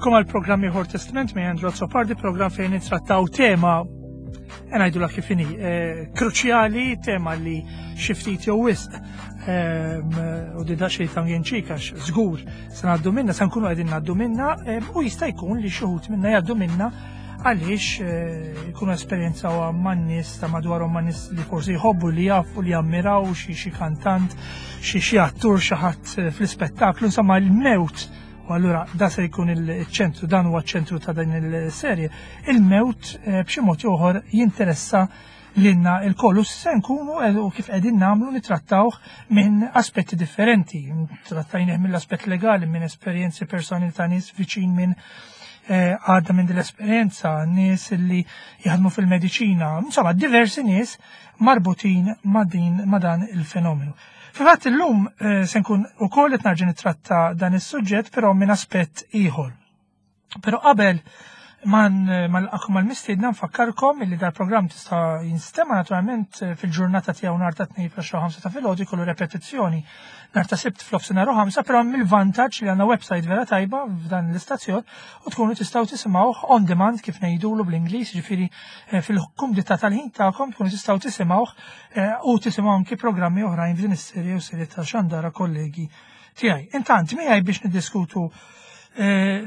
Nilqakom għal programm ieħor Testament minn Andrew Azzopardi, programm fejn nittrattaw tema ngħidula kif inhi, eh, kruċjali, tema li xi ftit jew wisq ehm, u di daqsxejn tangenċik għax żgur se ngħaddu minna, se nkunu qegħdin ngħaddu minna ehm, u jista' jkun li xi wħud minna jgħaddu minna għaliex eh, jkunu esperjenzaw man nies ta' madwarhom ma' nies li forsi jħobbu li jafu li jammiraw xi xi kantant, xi xi attur xi ħadd eh, fl-ispettaklu, insomma l-mewt u allura da se jkun il-ċentru, dan huwa ċ-ċentru ta' din il-serje, il-mewt eh, b'xi mod ieħor jinteressa lilna il-kollu se nkunu u kif qegħdin nagħmlu nitrattawh minn aspetti differenti. Trattajnih mill-aspett legali, minn esperjenzi personali ta' nies viċin minn eh, għadda minn dil-esperjenza, nies li jaħdmu fil-mediċina, insomma diversi nies marbutin ma' din ma' dan il-fenomenu. Fil-fatt illum eh, se nkun ukoll qed narġa' nittratta dan is-suġġett però minn aspett ieħor. Però qabel man mal-akum mal-mistiedna nfakkarkom illi dal-programm tista' jinstema' naturalment eh, fil-ġurnata tiegħu nhar ta' tnejn fl-10 ta' filgħodu jkollu repetizzjoni nhar ta' sibt fl-ofsinhar u ħamsa, però hemm il-vantaġġ li għandna website vera tajba f'dan l-istazzjon u tkunu tistgħu tisimgħuh on demand kif ngħidulu bl-Ingliż, ġifieri eh, fil-kumdità tal-ħin tagħkom tkunu tistgħu tisimgħuh eh, u tisimgħu anki programmi oħrajn f'din is-serje u serje ta' xandara kollegi tiegħi. Intant miegħi biex niddiskutu eh,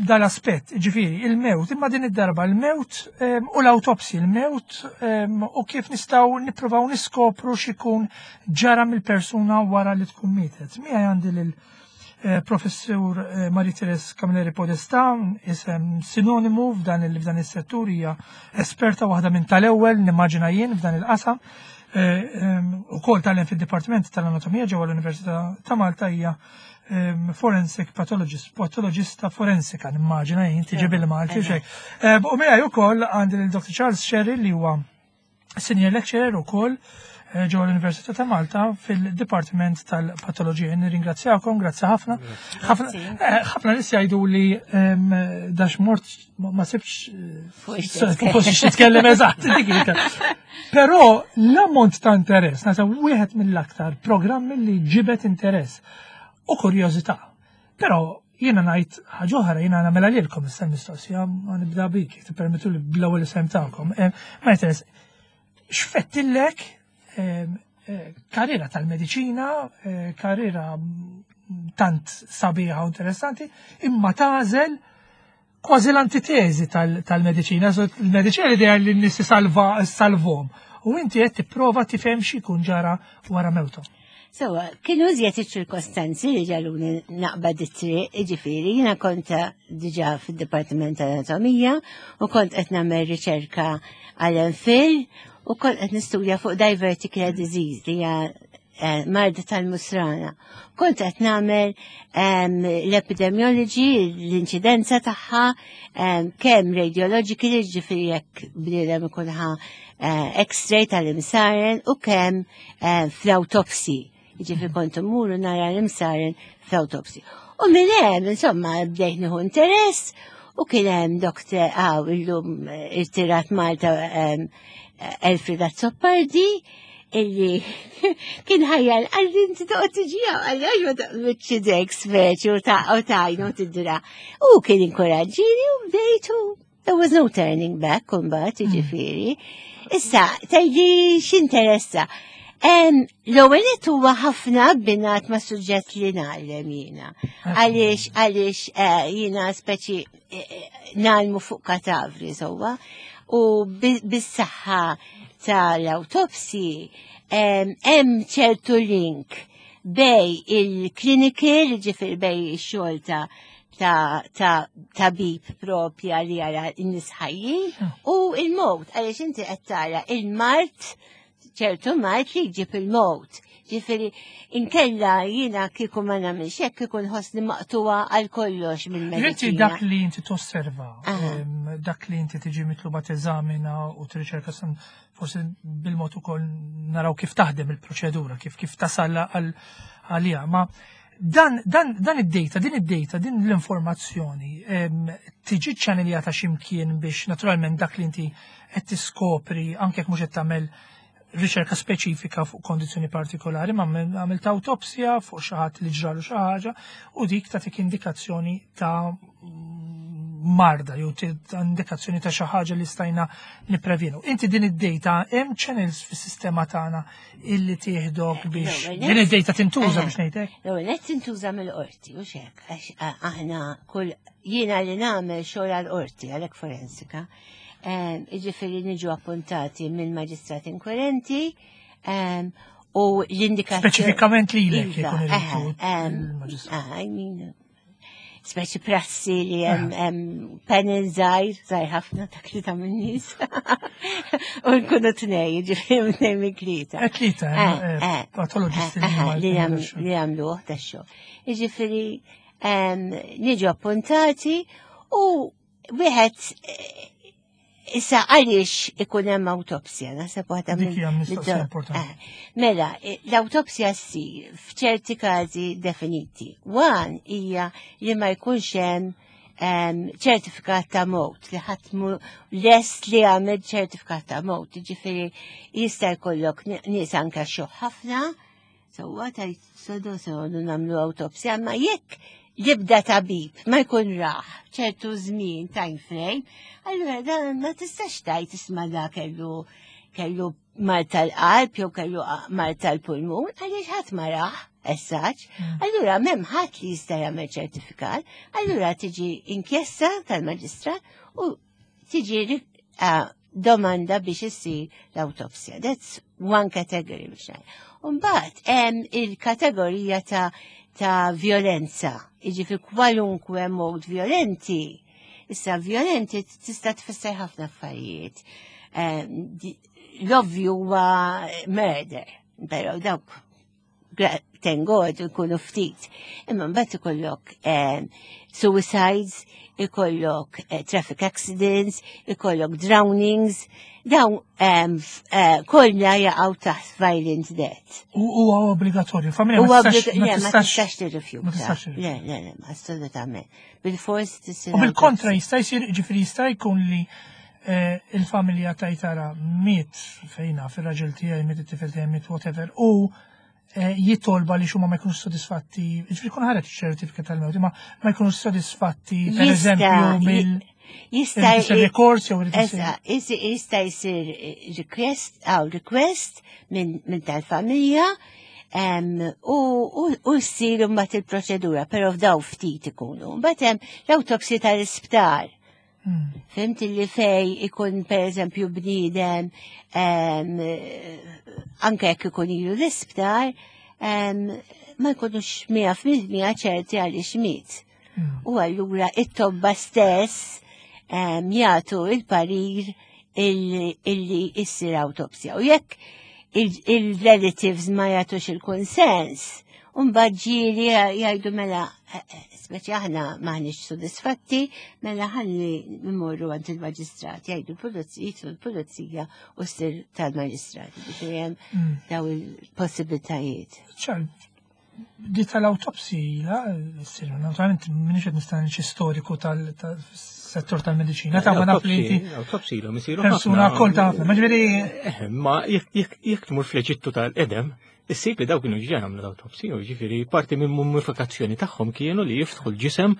dal-aspett, ġifiri, il-mewt, imma din id-darba il-mewt ehm, u l-autopsi, il-mewt ehm, u kif nistaw nippruvaw niskopru xikun ġara mill-persuna wara li tkun mietet. Miegħi għandi lil eh, professur eh, Marie Therese Camilleri Podesta, isem sinonimu f'dan il-settur hija esperta waħda minn tal-ewwel nimmaġina jien f'dan il-qasam. Eh, u kol tal fil-Dipartiment tal-Anatomija ġewwa l-Università ta' Malta hija forensic pathologist, patologista forensika, nimmaġina jien tiġi bil-Malti xejn. U miegħi ukoll għandi lil Dr. Charles Sherry li huwa senior lecturer ukoll eh, ġewwa l-Università ta' Malta fil-Dipartiment tal-Patoloġija. Nirringrazzjakom, grazzi ħafna. Eh, ħafna nies jgħidu li dax mort ma sibx fuq xi titkellem eżatt. Però l-ammont ta' interess, nasa wieħed mill-aktar programmi li ġibet interess u kurjożità. Però jiena ngħid ħaġa oħra, jiena nagħmilha lilkom issa mistoqsija ma nibda bik, tippermettu li bl-ewwel isem tagħkom. Eh, ma interess, x'fettillek eh, eh, karriera tal-mediċina, karriera tant sabiħa u interessanti, imma tażel kważi l-antiteżi tal-mediċina, il-mediċina l-idea li n-nies salvom. U inti qed tipprova tifhem xi jkun ġara wara mewthom. Sewa, kienu iżjed iċ-ċirkostanzi li ġaluni naqbad it-triq, ġifieri, jiena kont diġà fid-Dipartiment tal-Anatomija u kont qed nagħmel riċerka għal MPhil u kont qed nistudja fuq diverticular disease li hija eh, marda tal-musrana. Kont qed nagħmel l-epidemiology, l-inċidenza tagħha, kemm radiologically, ġifieri jekk bniedem ikun ħa eh, x-ray tal-imsaren u kemm eh, fl-autopsy. Ġifieri kont immur nara l-imsaren fl-autopsy. U minn hemm, insomma, bdejt nieħu interess u kien hemm doktor għaw illum irtirat Malta Elfrida Azzopardi illi kien ħajjar għalli inti toqgħod tiġi għalli għax ma taqbidx idek speċi u ta' u tajnu tidra. U kien inkoraġġini u bdejtu. There was no turning back kumbat, ġifieri. Issa, tgħidli x'interessa. L-ewwel nett huwa ħafna abbinat ma' suġġett li ngħallem jiena. Għaliex għaliex eh, jiena speċi eh, eh, ngħallmu fuq katavri sewwa u bis-saħħa tal-autopsy hemm ċertu link bejn il-clinical, ġifieri bejn ix-xogħol ta' ta' ta' tabib propja li jara n-nies ħajjin u il-mowt, għaliex inti qed tara il-mard ċertu mard li jġib il-mowt. Ġifieri, inkella jiena kieku ma nagħmilx hekk kieku nħossni maqtuwa għal kollox Inti mill-mediċina. dak li inti tosserva, dak li inti tiġi mitluba teżamina u tirriċerka forsi bil-mod ukoll naraw kif taħdem il-proċedura, kif kif tasal għalija. Ma dan, dan, dan id-data, din id-data, din l-informazzjoni tiġi ċanneljata x'imkien biex naturalment dak li inti qed tiskopri anke jekk mhux qed tagħmel riċerka speċifika fuq kondizzjoni partikolari, ma għamilt autopsja fuq xi ħadd li ġralu xi ħaġa u dik tagħtik indikazzjoni ta' marda jew indikazzjoni ta' xi ħaġa li stajna nipprevjenu. Inti din id-data hemm channels fis-sistema tagħna illi tieħdok biex din id-data tintuża biex ngħidlek. L-ewwel qed tintuża mill-qorti u xek għax aħna kull jiena li nagħmel xogħol għall-qorti għalhekk forensika. Jiġifieri niġu appuntati minn maġistrat inkwirenti u l-indikazzjoni. Speċifikament lilek iva, jkun il-maġistrat. Speċi prassi li hemm panel żgħir, żgħir ħafna ta' tlieta minn nies. U nkunu tnej, ġifieri tnej minn tlieta. Eh, tlieta, eh, eh, patoloġisti li jagħmluh tax-xogħol. Jiġifieri niġu appuntati u wieħed Issa għaliex ikun hemm awtopsja, naħseb waħda minn. Dik importanti. Eh, mela, eh, l-awtopsja ssir f'ċerti każi definiti. One hija li ma jkunx hemm ċertifikat ta' mowt li ħadd lest li għamel ċertifikat ta' mowt, ġifieri jista' jkollok nies anke xoħ ħafna, Sewwa tajt sodo sodu nagħmlu awtopsja, ma jekk jibda tabib ma jkun raħ ċertu żmien time frame, allura dan ma tistax tajt isma' da kellu kellu mar tal-qalb jew kellu mar tal-pulmun għaliex ħadd ma raħ essaċ. Allura m'hemm ħadd li jista' jagħmel ċertifikat, allura tiġi inkjesta tal-maġistrat u tiġi domanda biex issir l-awtopsja. That's one category biex ngħid. Umbagħad hemm il-kategorija ta' ta' violenza, jiġifieri kwalunkwe mod violenti. Issa violenti tista' tfisser ħafna affarijiet. L-ovvju huwa murder, però dawk thank God ikunu ftit. Imma mbagħad ikollok eh, suicides, ikollok eh, traffic accidents, ikollok drownings, dawn eh, kollha jaqgħu taħt violent death. U huwa obbligatorju, familja ma tistax tirrifjuta. Le, le, le, assolutament. Bil-fors tisir. U bil-kontra jista' jsir, ġifieri jista' jkun li il-familja tajtara miet fejna fil-raġel tiegħi, miet it-tifel tiegħi, miet whatever, u eh, jitolba li xumma ma jkunux sodisfatti, ġifieri kun ħareġ ċertifika tal-mewt, imma ma jkunux sodisfatti, per eżempju, mill Jista' jsir rikors jew jista' jsir request għaw request minn tal-familja u jsir mbagħad il-proċedura, però f'daw ftit ikunu. Mbagħad hemm l-awtopsji tal-isptar. Fimt li fej ikun per eżempju bniedem anke jekk ikun ilu l-isptar ma jkunux 100% ċerti għaliex miet. U allura it-tobba stess jagħtu il-parir illi issir awtopsja. U jekk il-relatives ma jagħtux il-konsens, Umbagħad ġieli jgħidu mela, eh, eh, speċi aħna maħniex sodisfatti, mela ħalli mmorru għand il-maġistrat, jgħidu l-pulizija, l-pulizija u ssir tal-maġistrat. Ġifieri hemm daw il-possibilitajiet. ċar, di tal-autopsi, la, ssir, naturalment minix qed nistenni xi storiku tal-settur tal-mediċina, ta' ma naf li inti Autopsi ilhom isiru persuna ħafna. kol ta' ħafna, ma ġifieri Eh, Ma jekk jekk tmur fl-Eġittu tal-qedem, Issib li dawk kienu ġa jagħmlu l-awtopsi, jiġifieri parti minn mummifikazzjoni tagħhom kienu li jiftħu l-ġisem,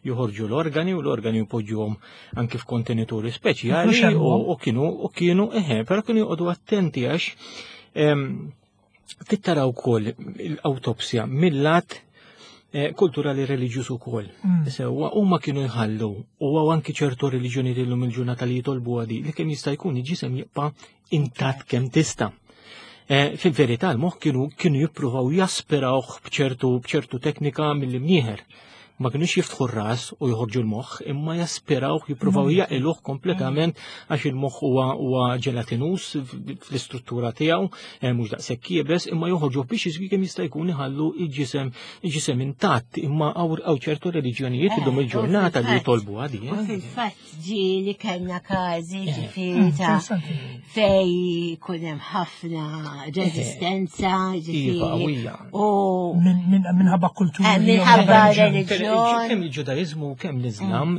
joħorġu l-organi u l-organi jpoġġuhom anki f'kontenituri speċjali u kienu u kienu eħe, però kienu joqogħdu attenti għax tittara wkoll l-awtopsja mill-lat eh, kulturali reliġjuż ukoll. Sewwa huma kienu jħallu u anki ċertu reliġjoni illum il-ġurnata li jitolbu għadi li kemm jista' jkun il-ġisem jibqa' intatt kemm tista'. Eh, fil-verità l-moħħ kienu kienu jippruvaw jaspirawh b'ċertu b'ċertu teknika mill-imnieħer. Ma kienux jiftħu r-ras u joħorġu l-moħħ, imma jaspirawh, jippruvaw jaqiluh kompletament għax il-moħħ huwa huwa ġelatinus fl-istruttura tiegħu, eh, mhux daqshekk iebes, imma joħorġuh biex jiżwi kemm jista' jkun iħallu il-ġisem il-ġisem intatt, imma hawn ċertu reliġjonijiet eh, illum il-ġurnata li jitolbu għadi. U fil-fatt ġieli kellna każi eh, ġifieri mm, ta' fej kun hemm ħafna reżistenza ġifieri. U minħabba kultura. Eh, minħabba reliġjon. Reliġjon. Kemm il-Ġudaizmu kemm l-Islam,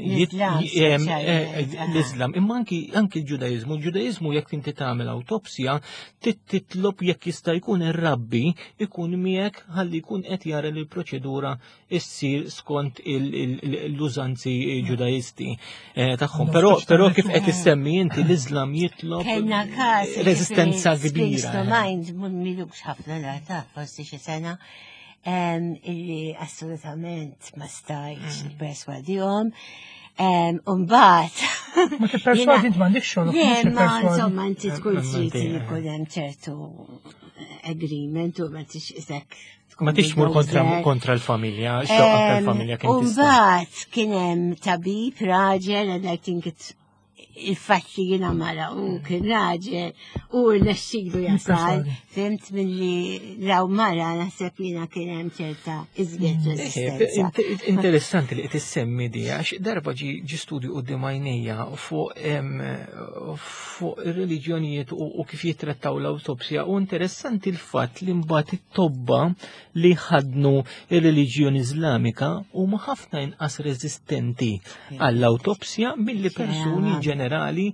l-Islam, imma anki anki l-Ġudaizmu, l-Ġudaizmu jekk inti tagħmel awtopsja, titlob jekk jista' jkun ir-rabbi ikun miegħek ħalli jkun qed jara li l-proċedura issir skont l-użanzi ġudaisti eh, tagħhom. Però però kif qed issemmi inti l-Islam jitlob Kellna każ reżistenza kbira. To mind milux ħafna data, forsi xi sena illi assolutament ma stajtx mm. perswadihom. Umbat. Ma tipperswadi int m'għandekx xogħol. Le, ma insomma inti tkun trid li jkun hemm ċertu agreement u ma tix isek. Ma tix tmur kontra l-familja, xewqa tal-familja kien. Umbat kien hemm tabib raġel and I think it's il-fatt li jiena mara u kien raġel u rnexxilu jasal, fimt milli raw mara naħseb jiena kien hemm ċerta iżjed mm. resistenza. Interessanti li qed issemmi di għax darba ġi studju quddiem għajnejja fuq fuq ir-reliġjonijiet u kif jittrattaw l-awtopsja u interessanti l-fatt li mbagħad it-tobba li ħadnu ir-reliġjoni Iżlamika huma ħafna inqas reżistenti għall-awtopsja milli persuni ġenerali.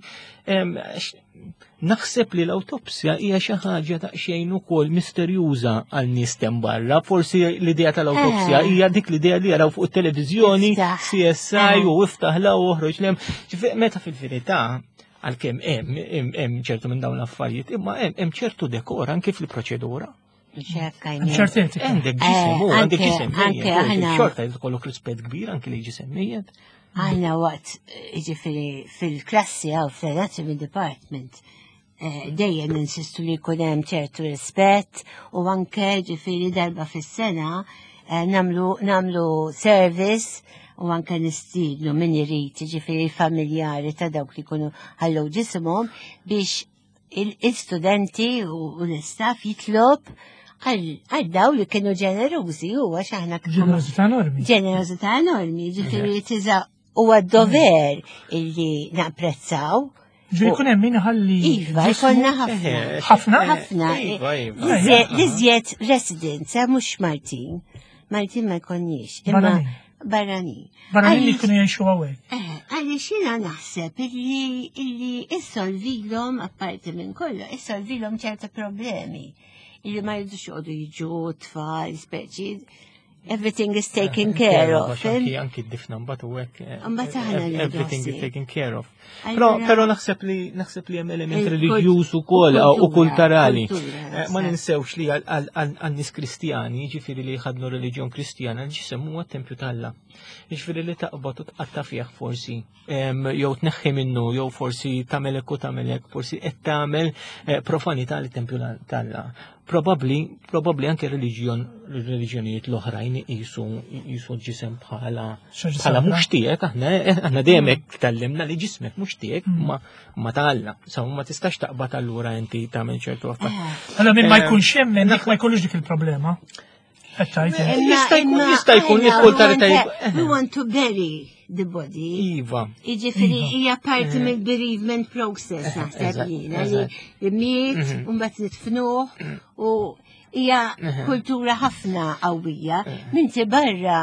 Naħseb li l-awtopsja hija xi ħaġa daqsxejn ukoll misterjuża għal nies tem barra. Forsi l-idea tal-awtopsja eh. hija dik l-idea li jaraw fuq it-televiżjoni, CSI eh. u iftaħ la u oħroġ lem. Meta fil-verità għalkemm hemm hemm ċertu minn dawn l-affarijiet, imma hemm ċertu dekor anke fil-proċedura. Ċertenti. Għandek ġisem, u għandek ġisem. Anke aħna. Xorta jkollok rispett kbir anke li ġisem mejjet. Aħna waqt, ġifiri, fil-klassi għaw fl-anatomy department, eh, dejjem insistu li jkun hemm ċertu rispett u anke ġifiri darba fis-sena eh, namlu, namlu service u anke nistidnu min irid ġifiri familjari ta' dawk li jkunu ħallew ġisimhom biex il-studenti u l-istaff jitlob għal daw li kienu ġenerużi u għax aħna Ġenerożità enormi. Ġenerożità enormi, ġifieri tiża huwa dover illi napprezzaw. Ġifieri jkun hemm min ħalli. Iva, jkollna ħafna. Ħafna? Ħafna. Iva, iva. L-iżjed residents, eh, mhux Maltin. Maltin ma jkollniex. Imma barranin. Barranin li jkunu jgħixu hawnhekk. Eh, għaliex jiena naħseb illi illi issolvilhom apparti minn kollu, issolvilhom ċerta problemi illi ma jridux joqogħdu jiġu tfal, speċi everything is taken eh, care of. Anki anki d-difna mbagħad u hekk. Eh, mbagħad aħna everything is taken care of. Però però naħseb li naħseb li hemm element reliġjuż ukoll u kulturali. Ma ninsewx li għal nies Kristjani, jiġifieri li jħadnu reliġjon Kristjana, l-ġisem huwa t-tempju t'Alla. Jiġifieri li taqbad u tqatta' fih forsi jew tneħħi minnu jew forsi tagħmel hekk u tagħmel hekk, forsi qed tagħmel eh, profanità li tempju t'Alla. Probabbli, probabbli anke reliġjon reliġjonijiet l-oħrajn iqisu iqisu l-ġisem bħala bħala mhux tiegħek aħna aħna dejjem hekk tgħallimna li ġismek mhux tiegħek mm. ma ma ta' Alla. Sa ma tistax taqbad allura inti tagħmel ċertu affarijiet. Eh. Allora min ma eh, jkunx jemmen dik ma jkollux dik il-problema. Jista' jkun jista' jkun jidħol We want to bury the body. Iva. Jiġifieri iva. hija parti eh. mill-bereavement process eh, naħseb jiena li miet mhm. u mbagħad nitfnuh u hija kultura ħafna qawwija. Minti barra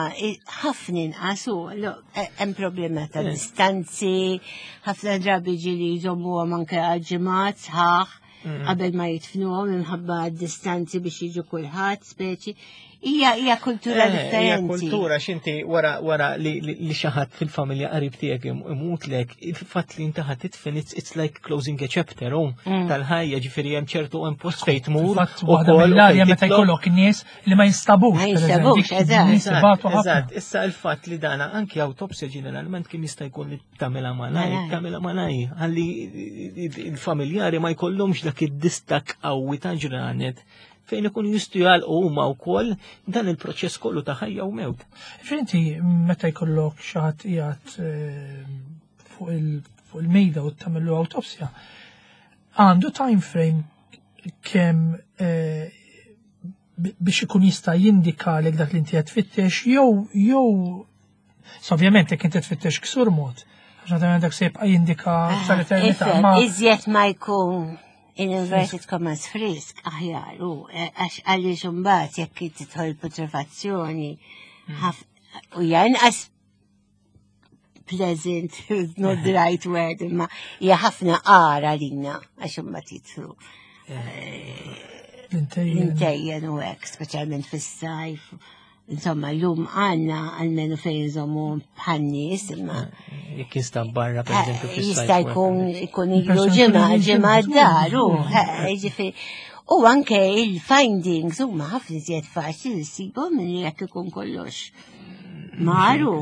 ħafna inqas u hemm problema ta' distanzi, ħafna drabi ġieli jżommuhom anke għal ġimgħat sħaħ. Mm. qabel ma jitfnuhom minħabba distanzi biex jiġu kulħadd speċi. Hija hija kultura eh, differenti. Hija kultura x'inti wara wara li li xi ħadd fil-familja qarib tiegħek imutlek, il-fatt li inti ħadd titfen it's like closing a chapter oh, mm. tal-ħajja ġifieri hemm ċertu hemm post fejn tmur. Waħda mill-arja meta jkollok nies li ma jinstabux. Ma jinstabux, eżatt. Issa il-fatt li dana anki awtopsja ġeneralment kien jista' jkun li tagħmilha malaj, tagħmilha malaj, ħalli il-familjari ma jkollhomx dak id-distak qawwi ta' ġranet fejn ikun jistgħu jgħalqu huma wkoll dan il-proċess kollu ta' ħajja u mewt. Finti meta jkollok xi ħadd qiegħed eh, fuq il-mejda u tagħmillu awtopsja, għandu time frame kemm eh, biex ikun jista' jindika lek dak li inti qed tfittex jew jew So, ovvjament jekk inti tfittex ksur mod, għax naturalment dak se jibqa' jindika ah, sal-eternità. Iżjed ma jkun in inverted commas frisk aħjar u eh, għax għaliex imbagħad jekk tidħol putrefazzjoni mm. U hija inqas pleasant, is not the right word, imma hija ħafna għara lina għax imma titlu. L-intejjen u hekk, speċjalment fis-sajf. Insomma, l-lum għanna għalmenu fejn nżommu bħan-nies, imma. Jekk jinstab barra, per eżempju, fis-sajf. Jista' jkun ikun ilu ġimgħa, ġimgħa d-dar, u ġifieri. U anke il-findings huma ħafna iżjed faċli li ssibhom minn jekk ikun kollox. Maru,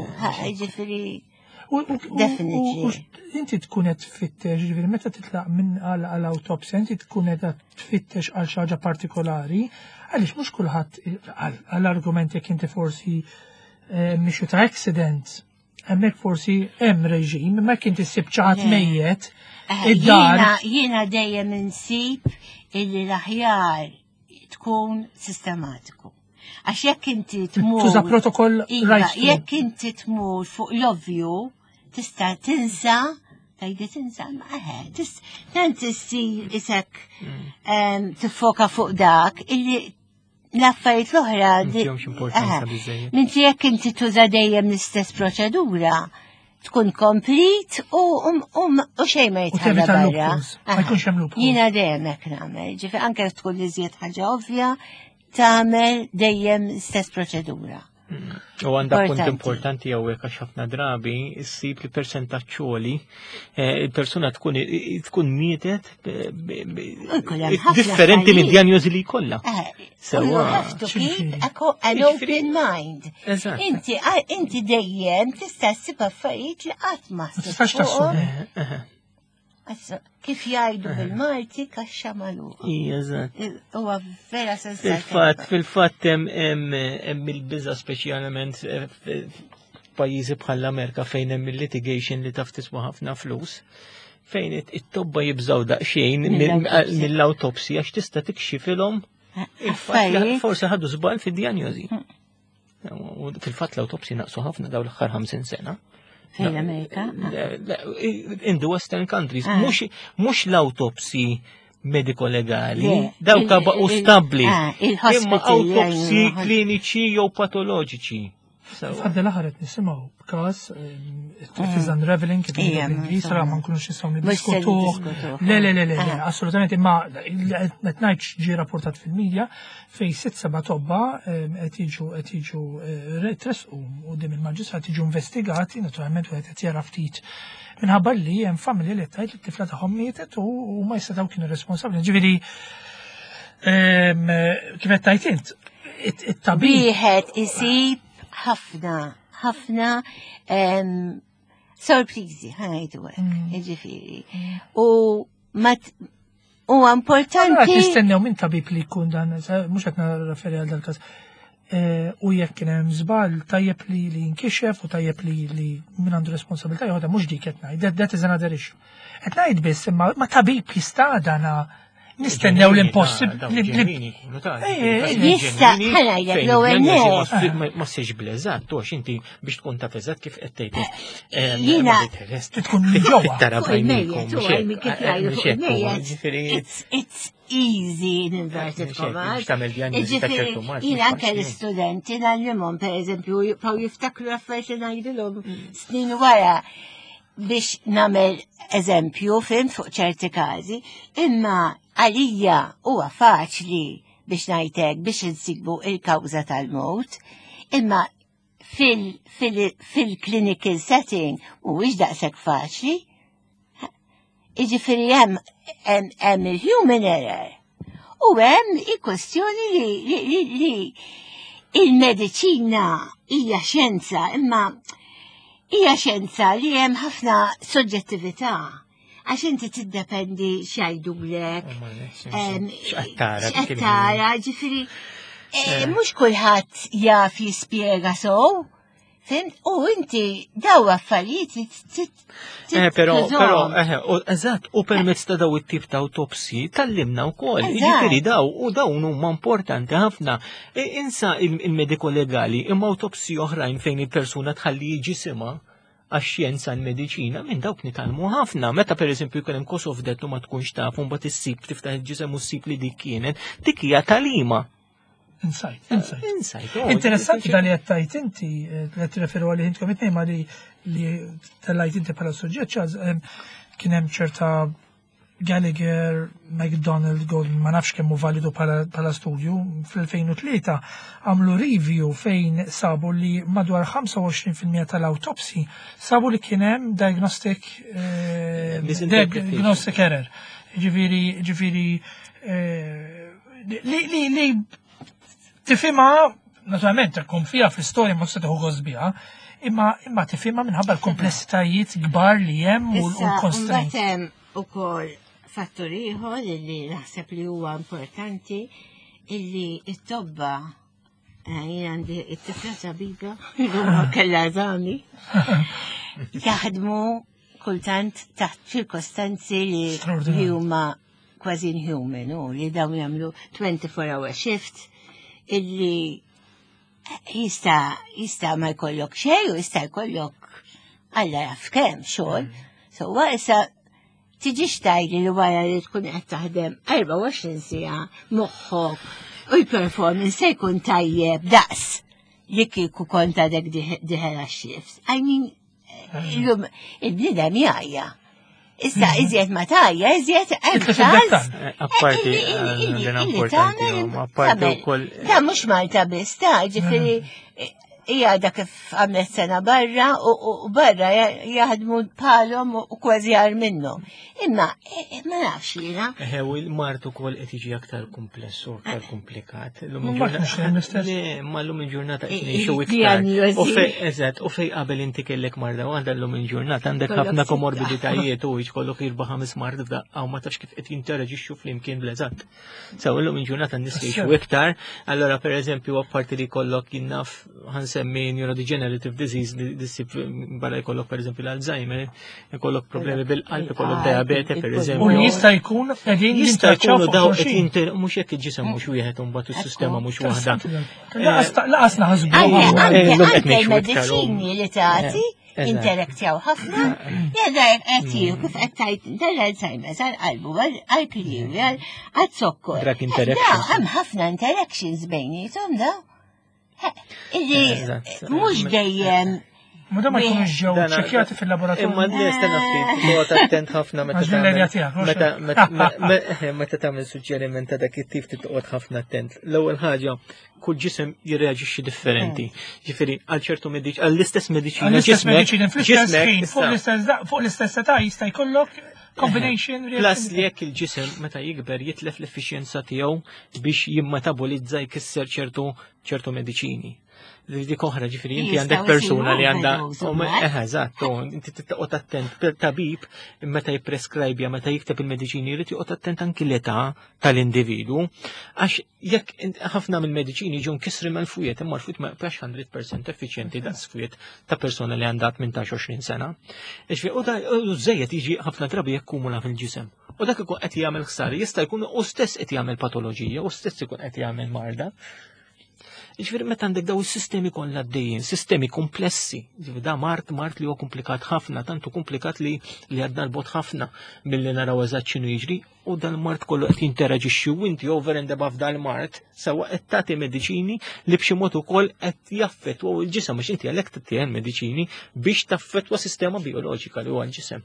ġifieri. Definitely. Inti tkun qed tfittex, ġifieri meta titlaq minn għal autopsja, inti tkun qed tfittex għal xi ħaġa partikolari, għaliex mhux kulħadd għall-argument jekk inti forsi eh, mixu ta' accident, hemmhekk forsi hemm reġim, imma jekk inti ssib xi ħadd mejjet eh, id-dar. Jiena dejjem insib illi l-aħjar tkun sistematiku. Għax jekk inti tmur. Tuża protokoll iva, right. Jekk inti tmur fuq l-ovvju, tista' tinsa, tajdi tinsa, ma eħe, tant issir isek mm. tiffoka fuq dak illi l-affarijiet l-oħra. Minti jekk inti tuża dejjem l-istess proċedura, tkun komplit u, u, u, u xejn ma jitħalla barra. Ma jkunx hemm loopholes. Jiena dejjem hekk nagħmel, ġifi anke tkun li żjed ħaġa ovvja, tagħmel dejjem stess proċedura. U għandha punt importanti hawnhekk għax ħafna drabi ssib li persentaġġ għoli eh, il-persuna tkun tkun mietet eh, differenti minn diagnosi li jkollha. Eh, Sewa. You have to keep an open mind. Inti inti dejjem tista' ssib affarijiet li qatt ma tistax tassumi. Kif jgħidu bil-Malti kaxxa magħluqa. Eżatt. Huwa vera sens. Fil-fatt, fil-fatt hemm il-biża speċjalment eh, f'pajjiżi bħall-Amerika fejn hemm il-litigation li taf tiswa ħafna flus fejn it-tobba jibżaw daqsxejn mill-autopsy għax tista' tikxifilhom il-fatt forsi ħadu żball fid-dijanjosi. Mm. Fil-fatt l-autopsy naqsu ħafna daw l-aħħar 50 sena. Fil-Amerika? In the Western countries. Ah. Mhux l-autopsy mediko-legali, dawk baqgħu stabbli. Ah, Imma autopsy kliniċi jew patoloġiċi. Għadda l-aħħar qed nisimgħu b'każ it is unraveling kif bl-Ingliż ra ma nkunux nistgħu niddiskutuh. Le le le le, ah. assolutament imma qed ngħidx ġie rapportat fil-medja fejn sitt seba' tobba qed jiġu qed jiġu eh, tresqu quddiem il-maġistrat jiġu investigati, naturalment wieħed qed jara ftit minħabba li hemm familja li tgħid li t-tifla tagħhom mietet u ma jistgħu kienu responsabbli. Ġifieri kif qed tgħid int, it-tabib. Wieħed isib ħafna, ħafna sorpriżi, ħanajdu hekk, mm. jiġifieri. U ma huwa importanti. Nistennew minn tabib li jkun dan, mhux qed nirreferi għal dal-każ. Eh, u jekk kien hemm żball tajjeb li li jinkixef u tajjeb li li min għandu responsabilità jeħodha mhux dik qed ngħid, that is another issue. Qed ngħid biss imma ma tabib jista' dana nistennew l-impossibbli. Jista' ħanajlek l-ewwel Ma ssirx bl-eżatt, għax inti biex tkun taf eżatt kif qed tgħid. Eh, jiena tkun ġewwa. Tara It's easy in inverted commas. Jiena anke l-istudenti ngħallimhom pereżempju jibqgħu jiftakru affarijiet li ngħidilhom snin wara biex nagħmel eżempju fim fuq ċerti każi, imma għalija huwa faċli biex ngħidlek biex insibu il-kawża tal-mewt, imma fil-clinical setting mhuwiex daqshekk faċli. Jiġifieri hemm hemm il-human error. U hemm il-kwestjoni li, li, li il-mediċina hija xjenza, imma hija xjenza li hemm ħafna soġġettività għax inti tiddependi x'jgħidulek. X'qed tara, ġifieri eh, mhux kulħadd jaf jispjega sow. Fimt? U inti daw affarijiet Eh, però, però, eh, eżatt, u permezz ta' daw it-tip ta' autopsi tallimna wkoll. Jiġifieri daw u dawn huma importanti ħafna. E, insa il-mediko legali imma autopsi oħrajn fejn il-persuna tħalli ġisimha għax-xjenza l-mediċina minn dawk nitalmu ħafna. Meta pereżempju jkun hemm cause of death u ma tkunx taf u mbagħad issib tiftaħ il-ġisem u ssib li dik kienet, dik hija talima. Insight, insight. Insight. Oh, Interessanti dan li qed tgħid inti eh, li qed tirreferu għalih intkom it-tnejn ma li li tellajt inti bħala suġġett ċaz kien hemm ċerta Gallagher, McDonald, Golden, ma nafx kemm hu validu bħala studju, fl-2003 għamlu review fejn sabu li madwar 25% tal-autopsy sabu li kien hemm diagnostic eh, diagnostic error. Ġifieri, ġifieri eh, li li li tifhimha naturalment tkun fiha fl-istorja ma tista' tieħu gost biha, imma imma tifhimha minħabba l-komplessitajiet kbar li hemm u l-constraints. Issa, hemm ukoll fattur ieħor li naħseb li huwa importanti illi t-tobba eh, jien għandi it-tifla tabiba, kellha eżami, jaħdmu kultant taħt ċirkostanzi li huma kważi inhuman u li dawn jagħmlu 24 hour shift illi jista' jista' ma jkollok xejn u jista' jkollok alla jaf kemm xogħol. Mm. So issa tiġix tgħidli li wara li tkun qed taħdem 24 siegħa moħħok u l-performance se jkun tajjeb daqs li kieku kont għadek diħela shift. I mean, Illum il-bniedem jgħajja. Issa mhm. iżjed ma tajja, iżjed hemm ċans. Eh, apparti eh, importanti, apparti wkoll. Ta' mhux Malta biss, ta' ġifieri mhm. hija da kif għamlet sena barra u barra jaħdmu bħalhom u kważi għar minnhom. Imma eh, eh, ma nafx jiena. Eħe, u l-mart ukoll qed jiġi aktar kumpless u aktar komplikat. Ma llum il-ġurnata qed ngħixu iktar. U fej eżatt, u fej qabel inti kellek marda waħda llum il-ġurnata għandek ħafna komorbiditajiet u jkollok irba' ħames mard f'daqqa u ma tafx kif qed jinteraġixxu flimkien bl-eżatt. Sew illum il-ġurnata n-nies jgħixu iktar, allora pereżempju apparti li jkollok jinnaf ħansemmi neurodegenerative disease li ssib barra jkollok pereżempju l-Alzheimer, jkollok problemi bil-qalb, jkollok diabete pereżempju. U jista' jkun qegħdin jista' jkunu daw qed jinter mhux hekk il-ġisem mhux wieħed u mbagħad is-sistema mhux waħda. Laqas naħsbu. Anke l-mediċini li tagħti interaktjaw ħafna, jeda qed kif qed tajt dal-Alzheimer's għal-qalbu, għal-kliewi, għal-zokkor. Drug interactions. Hemm ħafna interactions bejnietom da. Illi mhux dejjem Ma da ma jkunux ġew ċekjati fil-laboratorju. Imma nistenna ftit, toqgħod attent ħafna meta meta tagħmel suġġeriment ta' dak it-tip titqgħod ħafna attent. L-ewwel ħaġa, kull ġisem jirreaġixxi differenti. Mm. Ġifieri għal ċertu mediċ għall-istess mediċina. Għall-istess mediċina fl-istess ħin, fuq l-istess età jista' jkollok combination Plus li jekk il-ġisem meta jikber jitlef l-effiċjenza tiegħu biex jimmetabolizza jkisser ċertu ċertu mediċini. Dik oħra ġifieri inti għandek persuna li għandha eh, eżatt, inti titqgħod attent tabib meta jippreskribja meta jikteb il-mediċini jrid joqgħod attent anki l-età tal-individu għax jekk ħafna mill-mediċini ġew nkisri mal-fwiet imma l-fwiet ma jibqax 100% effiċjenti daqs fwiet ta' persuna li għandha 18-20 sena. Ġifieri u da żejjed jiġi ħafna drabi jakkumula fil-ġisem. U dak ikun qed jagħmel ħsara, jista' jkun u stess qed jagħmel patoloġija, u stess ikun qed jagħmel marda. Ġifieri meta għandek daw is-sistemi kollha għaddejjin, sistemi komplessi, ġifieri da mart mart li huwa komplikat ħafna, tantu komplikat li li għadna l-bot ħafna milli naraw eżatt x'inhu jiġri u dal-mart kollu qed jinteraġixxi u inti over and above dal-mart sewa qed tagħti mediċini li b'xi mod ukoll qed jaffettwaw il-ġisem għax inti għalhekk tagħti mediċini biex taffettwa sistema bioloġika li huwa l-ġisem.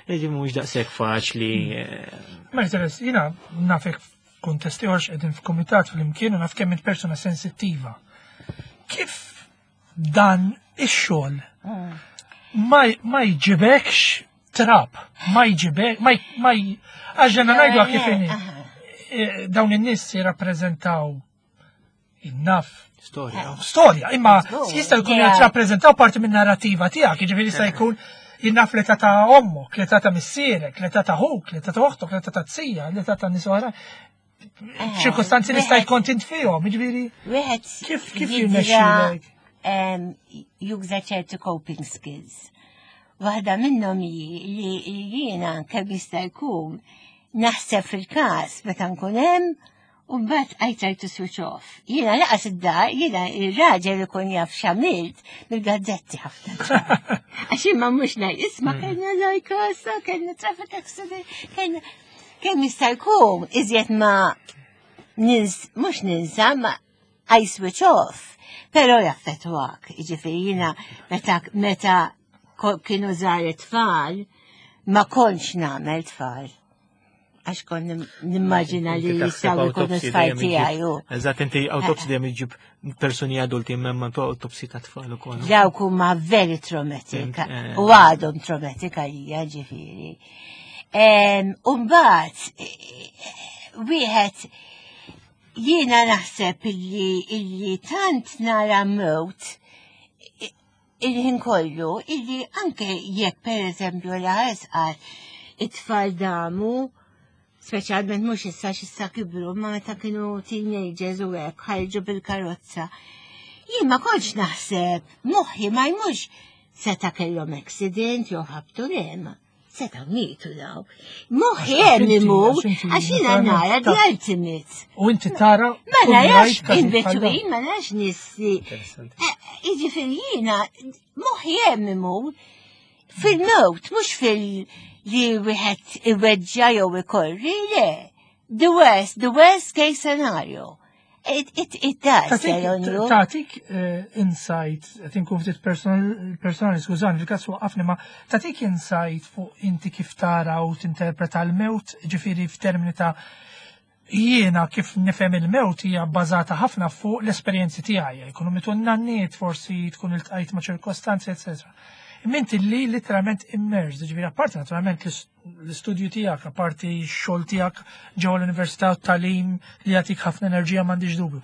Ġifieri mhux daqshekk faċli. Eh, Mercedes, jiena nafek Kuntest ieħor x'qegħdin f'kumitat flimkien u naf kemm int persuna sensittiva. Kif dan ix-xogħol mm. ma jġibekx trab, ma jġibek, ma ma għax ngħidu kif inhi. Eh, dawn in-nies jirrappreżentaw naf. Storja. Storja, imma jista' jkun jirrappreżentaw parti minn narrativa tiegħek, jiġifieri jista' jkun jinnaf l-età ta' ommok, l-età ta' missierek, l-età ta' ħuk, l-età ta' oħtok, l-età ta' tija, l-età ta' nies oħra. Eh, ċirkostanzi li sta' jkun tint fihom, jiġifieri. Wieħed kif kif jirnexxielek? Juża ċertu coping skills. Waħda minnhom hi li jiena kemm jista' jkun naħseb fil-każ meta nkun hemm U mbagħad I try to switch off. Jiena laqas id-dar, jiena ir-raġel ikun jaf x'għamilt mill-gazzetti ħafna. Għax imma mhux ngħid isma' mm. kellna lajkosa, kellna traffic accident, kellna kemm jista' jkun iżjed ma nins mhux ninsa ma. I switch off, pero jaffetwak, ġifiri jina meta, meta kienu żgħar it-tfal, ma kontx nagħmel tfal. Għax kon nimmaġina li jistgħu jkunu tfal tiegħi. Eżatt inti autopsy dejjem iġib persuni adulti imma autopsy ta' tfal ukoll. Dawk huma very traumatic eh. u għadhom traumatic għalija ġifieri. U mbagħad eh, wieħed jiena naħseb illi illi tant nara mewt il-ħin kollu illi anke jekk per eżempju l-ħares qal it-tfal damu speċjalment mhux issa x'issa kibru ma meta kienu teenagers u hekk ħarġu bil-karozza. Jien ma kontx naħseb moħħi ma jmux seta' kellhom accident jew ħabtu le ma seta' mietu daw. Moħħi hemm imur għax jiena nara the ultimate. U inti tara. Ma narax in between, ma narax nies li. Eh, jiġifieri jiena moħħi hemm imur fil-mewt, mhux fil- li wieħed iweġġa jew ikorri, le. The worst, the worst case scenario. It, it, it does, Tatik eh, insight, qed inkun ftit personali, skużani, fil-każ waqafni, ma tatik insight fuq inti kif tara u tinterpreta l-mewt, ġifieri f'termini ta' jiena kif nifhem il-mewt hija bbażata ħafna fuq l-esperjenzi tiegħi, jkunu mitu nanniet, forsi tkun iltqajt ma' ċirkostanzi, etc. Imma inti li literalment immersed, ġifieri apparti naturalment l-istudju tiegħek, apparti x-xogħol tiegħek ġewwa l-università u t-tagħlim li jagħtik ħafna enerġija m'għandix dubju.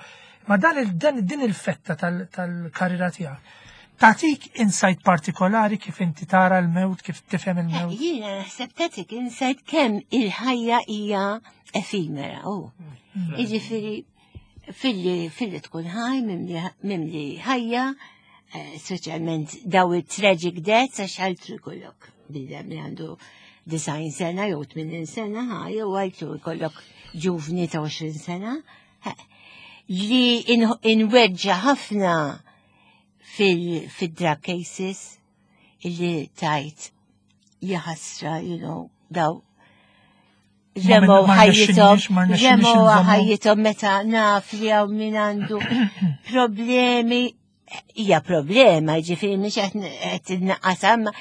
Ma dan dan din il-fetta tal-karriera tiegħek tagħtik insight partikolari kif inti tara l-mewt, kif tifhem il-mewt? Eh, jiena naħseb tagħtik insight kemm il-ħajja hija efimera. Oh. Mm. Jiġifieri filli filli tkun ħaj mimli ħajja, eh, speċjalment daw it-tragic deaths għax ħaltru jkollok bidem li għandu design sena jew 80 sena ħaj jew għaltru jkollok ġuvni ta' 20 sena li inweġġa ħafna fil-drug cases illi tajt jaħasra, you know, daw Remgħu ħajjithom, remgħu ħajjithom meta naf li hawn min għandu problemi, hija problema, ġifieri mhix qed innaqqas imma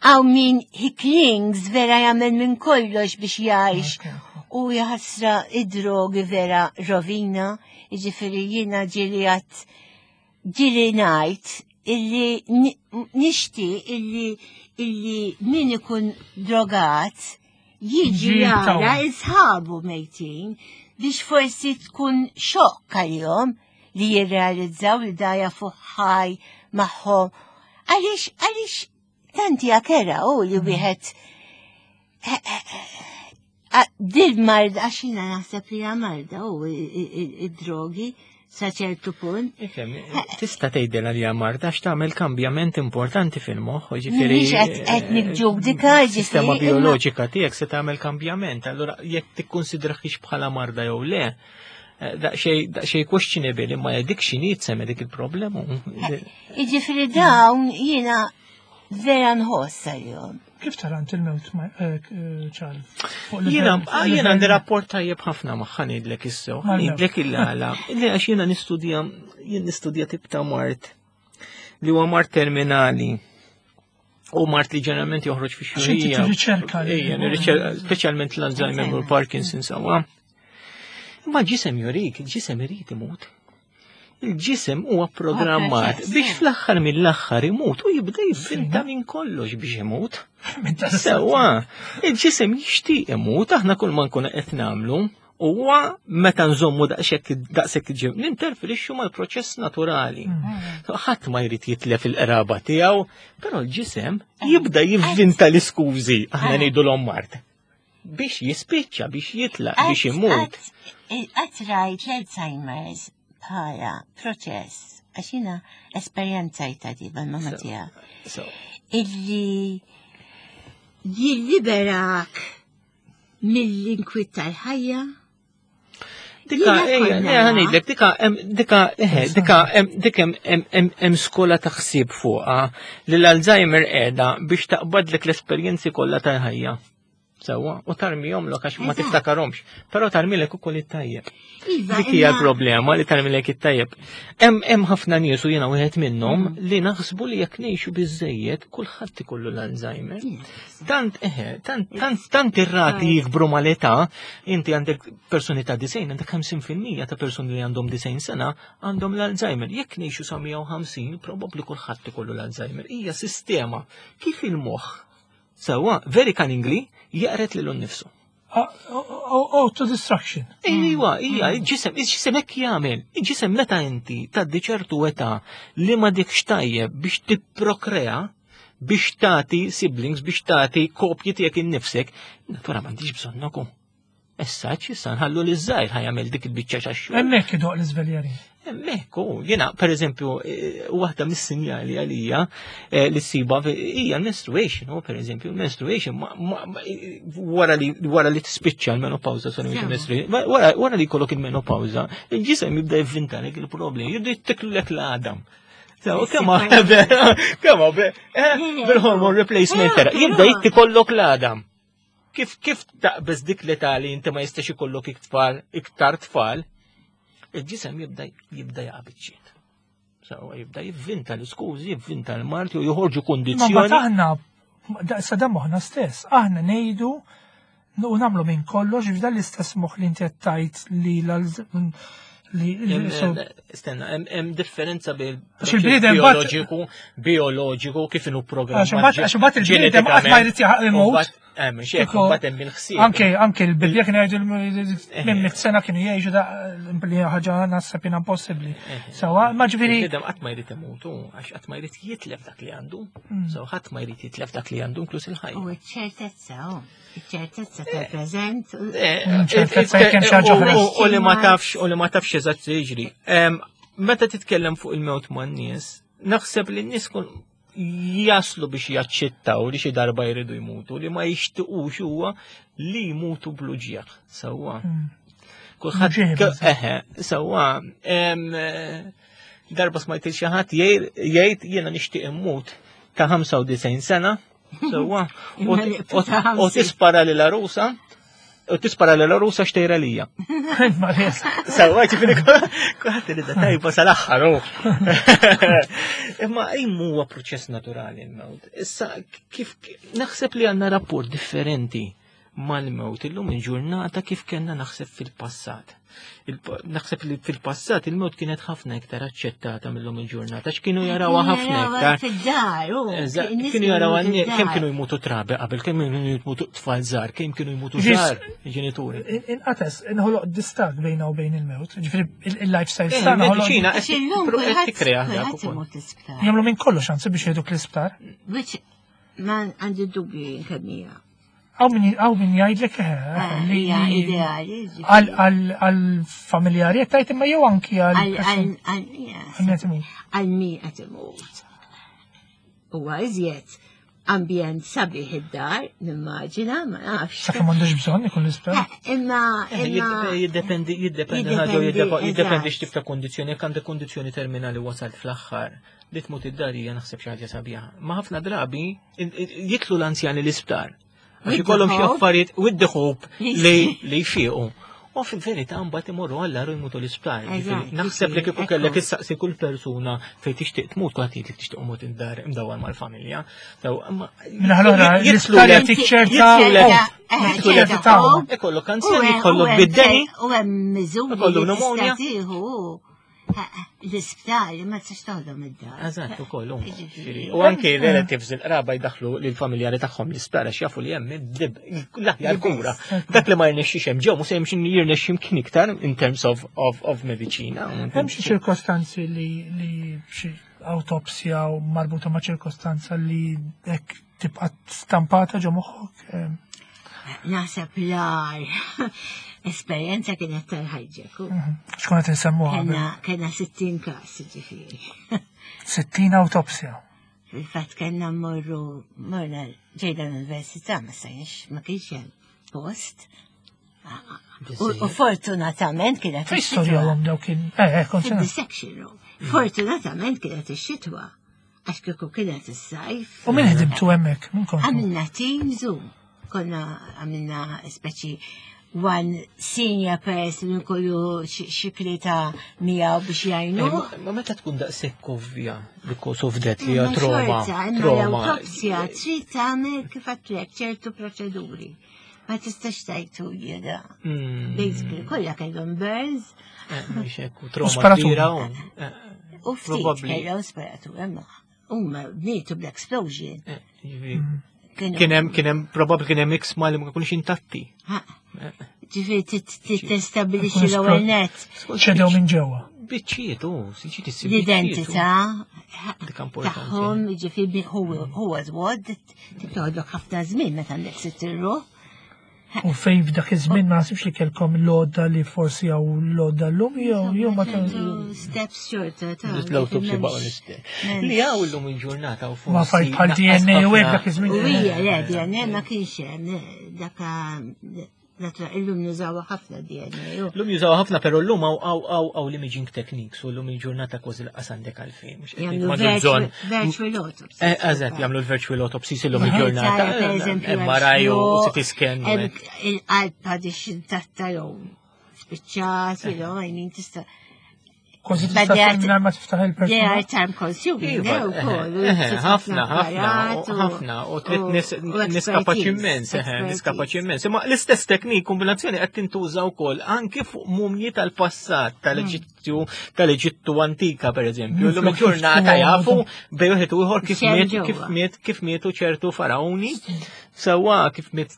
hawn min he clings vera jagħmel minn kollox biex jgħix u jaħasra id-drogi vera rovina, ġifieri jiena ġieli għat ġieli ngħid illi nixtieq illi illi min ikun drogat jiġi jara isħabu mejtin biex forsi tkun xokk għalihom li jirrealizzaw li daja fuq ħaj magħhom. Għaliex għaliex tanti għakera u li mm. wieħed eh, eh, eh, dil marda għax jiena naħseb li marda u id-drogi sa ċertu punt. Ifhem, tista' tgħidilha li marda għax tagħmel kambjament importanti fil-moħħ, ġifieri. Mhix qed niġġudika, ġifieri. Sistema bioloġika tiegħek se tagħmel kambjament, allura jekk tikkunsidrahiex bħala marda jew le, eh, daqsxejn questionable imma dik x'inhi tsemme dik il-problema. Jiġifieri dawn jiena vera nħoss għalihom. Kif tara int il-mewt eh, ċal? Jiena ah, jiena għandi rapport tajjeb ħafna magħha ngħidlek issew, ngħidlek il-għala. Li għax jiena nistudja jien nistudja tip ta' mart li huwa mart terminali. U mart li ġeneralment joħroġ fi xurija. Riċerka. Ejja, riċerka, speċjalment l-Alzheimer u l-Parkinson sawa. Ma ġisem jurik, ġisem irid imut. Il-ġisem huwa programmat biex fl-aħħar mill-aħħar imut u jibda jivvinta minn kollox biex imut. Sewwa, il-ġisem jixtieq imut, aħna kull ma nkunu qed nagħmlu huwa meta nżommu daqshekk daqshekk ġim ninterferixxu mal-proċess naturali. Mm. Ħadd ma jrid jitlef il-qraba tiegħu, però l-ġisem jibda jivvinta l-iskużi aħna ngħidulhom mart. Biex jispiċċa, biex jitlaq, biex imut. Qatt rajt l-Alzheimer's bħala proċess, għax jiena esperjenzajta di mal-mama tiegħek. Illi jilliberak mill-inkwiet tal-ħajja Dika, ħanidlek, dika, dika, eħe, dika, dika hemm skola ta' ħsieb fuqha li l-Alzheimer qiegħda biex taqbadlek l-esperjenzi kollha tal-ħajja. Sewwa, u tarmihomlok għax ma tiftakarhomx, però tarmilek ukoll it-tajjeb. Iva, Dik hija l-problema li tarmilek it-tajjeb. Hemm ħafna nies u jiena wieħed minnhom mm. li naħsbu li jekk ngħixu biżejjed kulħadd ikollu l-Alzheimer. Tant eħe, tant tant tant ir-rati jikbru mal-età, inti għandek persuni ta' disejn, għandek 50% ta' persuni li għandhom disejn sena għandhom l-Alzheimer. Jekk ngħixu sa 150, probabbli kulħadd ikollu l-Alzheimer. Hija sistema kif il-moħħ Sewwa, very cunningly, jaqret lilu nnifsu. Auto-destruction. Iwa, ija, il-ġisem, il-ġisem hekk jagħmel. Il-ġisem meta inti tgħaddi ċertu età li ma dikx tajjeb biex tipprokrea, biex tagħti siblings, biex tagħti kopji tiegħek innifsek, natura m'għandix bżonnoku. Issa issa nħallu li żgħir ħajamel dik il-biċċa xaxxu. Hemmhekk idoq l-iżveljeri. Hemmhekk u jiena pereżempju eh, waħda mis-sinjali għalija eh, li ssiba hija l-menstruation, u pereżempju l-menstruation wara li wara li tispiċċa l-menopawża sorry mhux il-menstruation, wara li jkollok il-menopawża, il-ġisem jibda jivvintalek il-problemi, jibda jittiklek l-għadam. Kemm kemm eh, bil-hormone replacement jibda jittikollok l-għadam. Kif kif taqbeż dik l-età li inti ma jistax ikollok iktar iktar tfal, il-ġisem jibda jibda jaqa' biċċiet. Sawa jibda jivvinta l-iskużi, jivvinta l-marti u joħorġu Ma kondizzjoni. mbagħad aħna sa dan moħħna stess, aħna ngħidu u nagħmlu minn kollox f'dan l-istess moħħ li inti qed tgħid li l li Stenna, hemm differenza bejn Għax il-bniedem bat- bioloġiku, bioloġiku kif inhu programmat. Għax imbagħad il-bniedem qatt ma jrid jaħaq imut. Hemm xejn, Kieku- imbagħad hemm il-ħsieb. Anke anke l-Bibbja kienu jgħidu minn mit sena kienu jgħixu da li ħaġa naħseb jiena impossibbli. Sawa, ma ġifieri Il-bniedem qatt ma jrid imutu, għax qatt ma jrid jitlef dak li għandu. So ħadd ma jrid jitlef dak li għandu inkluż il-ħajja. U ċ-ċertezza, oh, iċ-ċertezza tal-preżent. ċertezza jekk hemm xi ħaġa oħra. U li ma tafx, u li ma tafx eżatt se jiġri. Meta titkellem fuq il-mewt man-nies, naħseb li n-nies kun jaslu biex jaċċettaw li xi darba jridu jmutu, li ma jixtiqux huwa li jmutu bl-uġieħ. Sewwa. Kulħadd Uġieħ, biżżejjed. eħe, sewwa. Darba smajt il xi ħadd jgħid jiena nixtieq immut ta' 95 sena, sewwa, u tispara lil arusa, u tispara lil arusa xtejra lija. Ma res. Sewwa, ġifieri kulħadd irid tajba sal-aħħar. hu. Imma imma huwa proċess naturali l-mewt. Issa kif naħseb li għandna rapport differenti mal-mewt illum il-ġurnata kif kellna naħseb fil-passat. Naħseb li fil-passat il-mewt kienet ħafna iktar aċċettata mill-lum il-ġurnata, għax kienu jarawha ħafna iktar. Fid-dar, u. Eżatt, in-nies kienu jaraw kienu għan kemm fid-dar. kienu jmutu trabi qabel, kemm kienu jmutu tfal żgħar, kemm kienu jmutu Ġis- żgħar ġenituri. Inqates, inħoloq distak bejna u bejn il-mewt. Ġifieri il-lifestyle Eh, tagħna ħoloq il-mediċina Għax illum qed kulħadd tikkrea dak kulħadd ukoll. imut l-isptar. jagħmlu minn kollox anzi biex jgħiduk l-isptar. Which ma għandi dubju jien kemm hija. Hawn min jgħidlek eh, Ah, li Hija li- ideali. ġifieri. għal għal familjari qed tgħid imma jew anki għal Għal person- għal għal għal min qed imut. għal min qed imut. Huwa iżjed ambjent sabiħ id-dar, nimmaġina, ma nafx. Sakemm m'għandux bżonn ikun l-isptar. Eh, Imma imma Jiddependi, jiddependi ħaġa, Jiddependi, jiddependi eżatt. x'tip ta' kondizzjoni, jekk għandek kondizzjoni terminali wasalt fl-aħħar, li tmut id-dar hija naħseb xi ħaġa sabiħa. Ma ħafna drabi jitlu l-anzjani l-isptar. Għax With the ikollhom xi hope. affarijiet with the hope li li jfiequ. U fil-verità mbagħad imorru għall u jmutu l-isptar. Eżatt, Ġifieri, Naħseb li kieku ekku. kellek issaqsi kull persuna fejn tixtieq tmut kulħadd jgħidlek tixtieq imut id-dar imdawwar mal-familja. So, imma Minna l-oħra, jitlu l-isptar l- jagħtik ċerta jitlu l- hope. Eh, jitlu ċerta l- hope. Ikollok U anzjani, hemm- u ikollok hemm bid-deni. U hemm miżuri Ikollu li pneumonia. tista' tieħu. Eh, L-isptar ma tistax toħdom id-dar. Eżatt, ukoll. Ġifieri. U anke relatives il-qraba jdaħlu lill-familjari tagħhom l-isptar għax jafu li hemm id-dib l-aħjar kura. Dak li ma jirnexxix hemm ġew mhux se jimxi jirnexxi mkien iktar in terms of of of mediċina. Hemm xi ċirkostanzi li li xi awtopsja u marbuta ma' ċirkostanza li hekk tibqa' stampata ġo moħħok. eh, Naħseb l-ar esperjenza kienet tal-ħajġek. Xkun qed insemmuha qabel. Kenna kenna 60 kas, ġifieri. 60 awtopsja. Fil-fatt kellna mmorru morna ġejda l-università ma stajniex ma kienx hemm post. U fortunatament kienet Fejn ix-xitwa. storjawhom dawk kien eh eh kont sena. Fid-dissection room. Fortunatament kienet ix-xitwa. Għax kieku kienet is-sajf. U min ħdimtu hemmhekk? Min kontu? Għamilna team Zoom. Konna għamilna speċi one senior person kollu xi ta' miegħu biex jgħinu. Eh, ma meta tkun daqshekk ovvja the cause of death li hija trauma. Trauma. L-autopsja trid tagħmel kif għedtlek ċertu proċeduri. Ma tistax tajtu jieda. Basically, kollha kellhom burns. Eh, mhux hekk, u trauma kbira. Eh, u ftit kellhom sparatura imma huma mietu bl-explosion. Kien hemm kien hemm probabbli kien hemm iksma li ma kienux intatti. Ġifieri tistabilixxi l-ewwel net. Ċedew minn ġewwa. Biċċiet, u siġi tissib. L-identità tagħhom, ġifieri huwa żwod, tittoħodlok ħafna żmien meta għandek sitt irruħ. U fejn f'dak iż-żmien ma nasibx li kellkom l-għodda li forsi hawn l-għodda llum jew jew ma Steps xorta ta' L-autopsy baqgħu l-istess. Li hawn illum il-ġurnata u forsi. Ma fajt bħal DNA u hekk dak iż-żmien. U hija le DNA ma kienx hemm dak Illum nużaw ħafna DNA. Illum jużaw ħafna, pero llum hawn l-imaging techniques u llum il-ġurnata kważi laqas għandek għalfejn. Jagħmlu virtual autopsy. Eh, eżatt, jagħmlu l-virtual autopsy illum il-ġurnata. MRI u CT scan. Il-qalb għadix intatta jew spiċċat, jew għajnin tista' Kważi tista' mingħajr ma tiftaħ il-persuna. They are time consuming, iva, eh, eh, ħafna, ħafna, ħafna, u trid nies kapaċi immens, eh, nies kapaċi immens. Imma l-istess teknik kombinazzjoni qed tintuża wkoll anke fuq mumji tal-passat tal-Eġittju, tal-Eġittu antika pereżempju. Illum il-ġurnata jafu bej wieħed u ieħor kif miet, kif miet, kif mietu ċertu faraoni. Sewwa kif miet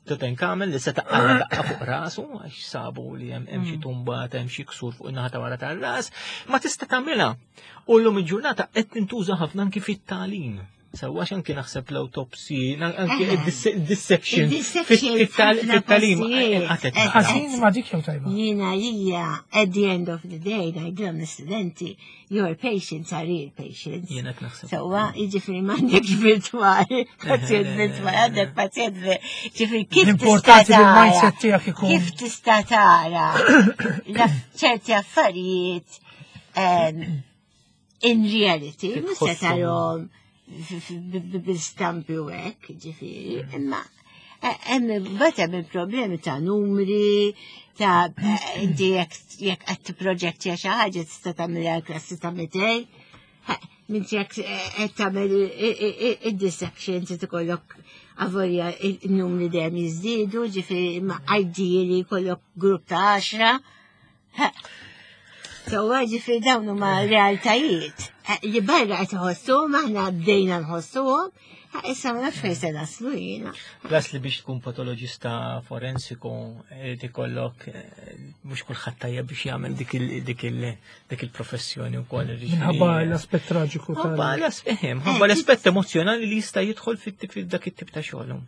Tutankhamen li seta' qala daqqa fuq rasu għax sabu li hemm xi mm. tumba hemm xi ksur fuq in-naħa ta' wara tar-ras, ma tista' tagħmilha. U llum il-ġurnata qed tintuża ħafna anki fit-tagħlim. Sewwa anki naħseb l-autopsy, anki dissection fit-tagħlim. Ħażin ma dik jew tajba. Jiena hija at the end of the day ngħidilhom l-istudenti your patients are real patients. Jiena naħseb. Sewwa, jiġifieri m'għandekx virtwali, pazjent virtwali, għandek pazjent ġifieri kif Importanti li l-mindset tiegħek ikun. Kif tista' tara ċerti affarijiet in reality, mhux se tarhom bil-stampi u hekk, ġifieri, imma hemm bad hemm il-problemi ta' numri, ta' inti jekk qed tipproġettja xi ħaġa tista' tagħmilha klassi ta' 200. Minti jekk qed tagħmel id-dissection trid ikollok avolja il-numri dejjem jiżdiedu, ġifieri imma ideally jkollok grupp ta' 10. Sewwa ġifieri dawn huma realtajiet eh, li barra qed iħossuhom aħna bdejna nħossuhom, issa ma nafx fejn se naslu jiena. Plus li biex tkun patoloġista forensiku irid ikollok eh, mhux kulħadd tajjeb biex jagħmel dik il-professjoni wkoll. Minħabba l-aspett traġiku tal. Ħabba l-aspett emozjonali li jista' jidħol fit-dak it-tip ta' xogħol.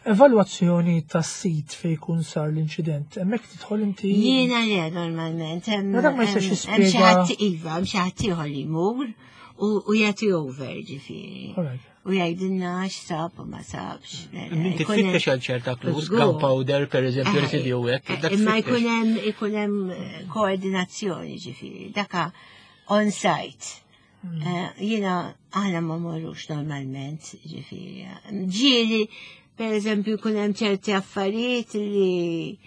Evalwazzjoni tas-sit fejn jkun sar l-inċident, hemmhekk tidħol inti. Jiena le normalment. Ma dak ma jistax jispjega. Hemm xi ħadd iva, hemm xi ħadd ieħor li jmur u jagħti over ġifieri. U jgħidilna x'sab u ma sabx. Inti tfittex għal ċerta clues, gunpowder per eżempju, residju hekk. Eh, imma jkun hemm ikun hemm koordinazzjoni ġifieri, daka on site. Eh, jiena aħna ma morrux normalment, ġifieri. Ġieli, per eżempju, kun hemm ċerti affarijiet li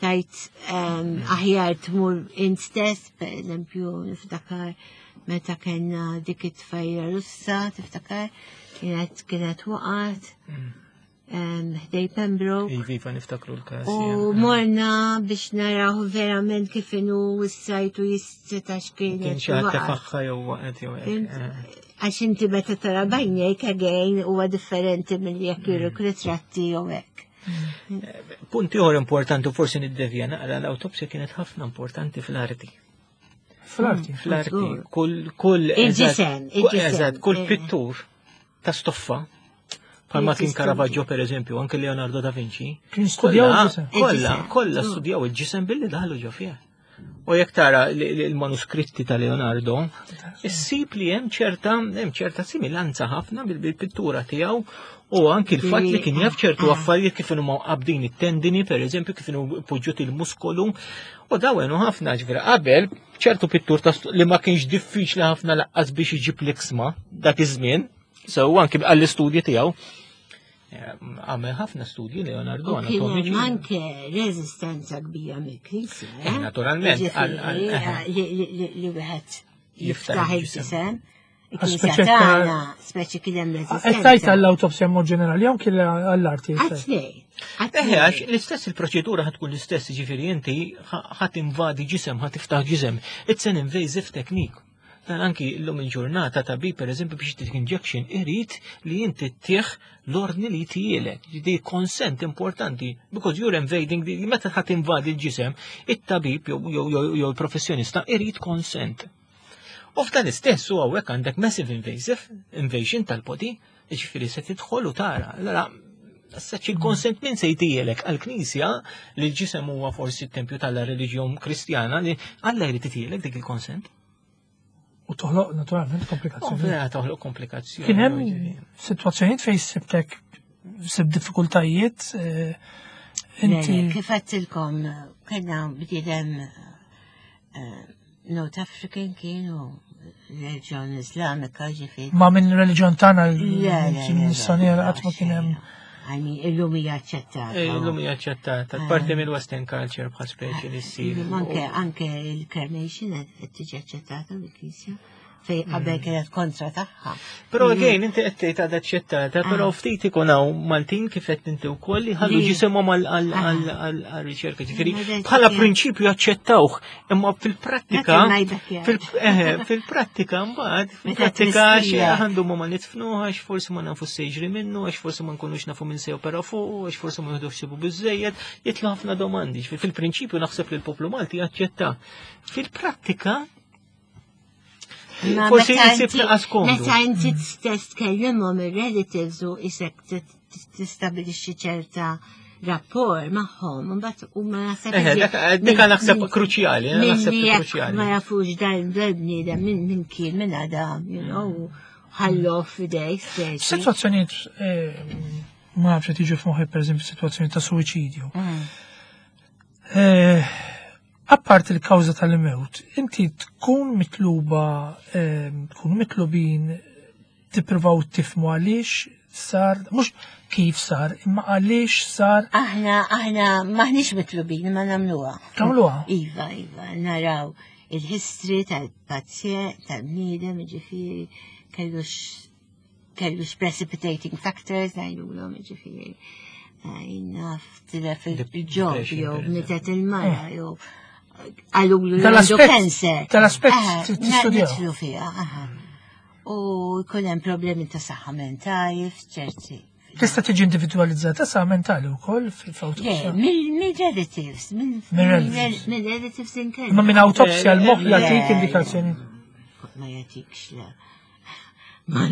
tajt ehm, aħjar tmur int stess, per eżempju, niftakar meta kellna dik it-tfajra Russa, tiftakar, kienet kienet waqgħet. Mm. Ħdej Pembroke. Iva, iva, niftakru l-każ. U morna biex naraw verament kif inhu s-sajtu jissetax kien. Kien xi ħadd tefaħħa jew waqgħet jew eh. Għax inti meta tara bajnejk again huwa differenti milli jekk juruk mm. ritratti jew hekk. Eh, punt ieħor importanti forsi niddevja naqra l-awtopsja kienet ħafna importanti fl-arti. Fl-arti. Fl-arti. Kull kull il-ġisem, il-ġisem. Kull eh. pittur ta' stoffa Palma kien Caravaggio per eżempju, anke Leonardo da Vinci. Kien studjaw il-ġisem. Kolla, kolla studjaw il-ġisem billi daħlu ġo fih. U jekk tara l-manuskritti ta' Leonardo, issib li hemm ċerta hemm ċerta similanza ħafna bil-pittura tiegħu u anki l-fatt li kien jaf ċertu ah. affarijiet kif huma qabdin it-tendini, per eżempju, kif inhu poġġut il-muskolu, u daw għenu ħafna ġifieri qabel ċertu pittur li ma kienx diffiċli ħafna laqqas biex iġib l-iksma dak iż-żmien, So anki għall-istudji tiegħu. Għamel ħafna studji Leonardo anatomiċi. Anke reżistenza kbira mill-Knisja. Eh, eh, naturalment. Eh, li wieħed jiftaħ il-ġisem. Il-Knisja tagħna speċi kien hemm reżistenza. Qed tgħid għall-awtopsja mod ġenerali jew kien għall-arti? Għat-tnejn. Eħe, għax l-istess il-proċedura ħatkun l-istess, ġifieri inti ħadd invadi ġisem, ħadd tiftaħ ġisem. It's an invasive technique. Dan anki l-lum il-ġurnata tabib per eżempju biex tik injection irid li inti tieħ l-ordni li tielek. Di consent importanti because you're invading the, meta ħadd invadi l-ġisem, it-tabib jew l-professjonista irid consent. U f'dan istess u hawnhekk għandek massive invasive invasion tal-body, ġifieri se tidħol u tara. Allora, Saċ il-konsent min se jtijelek għal-Knisja li l-ġisem huwa forsi t-tempju tal-reliġjon Kristjana li Alla jrid itielek dik il-konsent. U toħloq naturalment komplikazzjoni. Vera toħloq komplikazzjoni. Kien hemm sitwazzjonijiet fejn sibtek sib diffikultajiet. Eh, inti. Kif għedtilkom kellna bniedem eh, North African kienu reliġjon Islamika ġifieri. Ma minn reliġjon tagħna l-nisranija qatt ma kien hemm. Għani, illum hija aċċettata. Eh, illum hija aċċettata. Ah. Parti mill-Western culture bħal speċi li ssir. Anke anke il-cremation qed tiġi aċċettata mill-Knisja fej qabel mm. kienet kontra tagħha. Però mm. again inti qed tgħid għadha aċċettata, però ah. ftit ikun hawn Maltin kif qed inti wkoll li ħallu ġisimhom għal-riċerka. Ġifieri bħala prinċipju aċċettawh, imma fil-prattika eh, fil-prattika mbagħad fil-prattika għandu ma nitfnuh għax forsi ma nafu sejġri minnu, għax forsi ma nkunux nafu minn sew opera fuq, għax forsi ma jieħdux ħsibu biżejjed, jitlu ħafna domandi. Fil-prinċipju naħseb li l-poplu Malti jaċċetta. Fil-prattika Forsi jisib naqas komdu. Meta inti stess tkellimhom ir-relatives u isek tistabilixxi ċerta rapport magħhom, mbagħad huma naħseb. Eh, dik naħseb kruċjali, eh, naħseb kruċjali. Ma jafux dan bniedem minn min kien minn għada, you know, ħallu f'idej stess. Situazzjonijiet eh, ma nafx tiġi f'moħħi pereżempju situazzjoni ta' suwiċidju. Mm. Apparti l-kawża tal-mewt, inti tkun mitluba, ehm, tkun mitlubin tippruvaw tifmu għaliex sar, mhux kif sar, imma għaliex sar. Aħna, aħna maħniex mitlubin, ma nagħmluha. Tagħmluha? Iva, iva, naraw il-history tal-pazjent, tal-bniedem, ġifieri, kellux kellux precipitating factors ngħidulhom ġifieri. Eh, naf tilef il-ġob jew mitet il-mara eh. jew għalulu li għandu cancer. Tal-aspett eh, tistudjaw. Nidħlu fiha, U jkun hemm problemi ta' saħħa mentali f'ċerti. Tista' tiġi individwalizzata saħħa mentali wkoll fil-awtopsja? Mill-relatives, mill-relatives inkella. Ma minn awtopsja l-moħħ jagħtik indikazzjoni. Ma jagħtikx le. Ma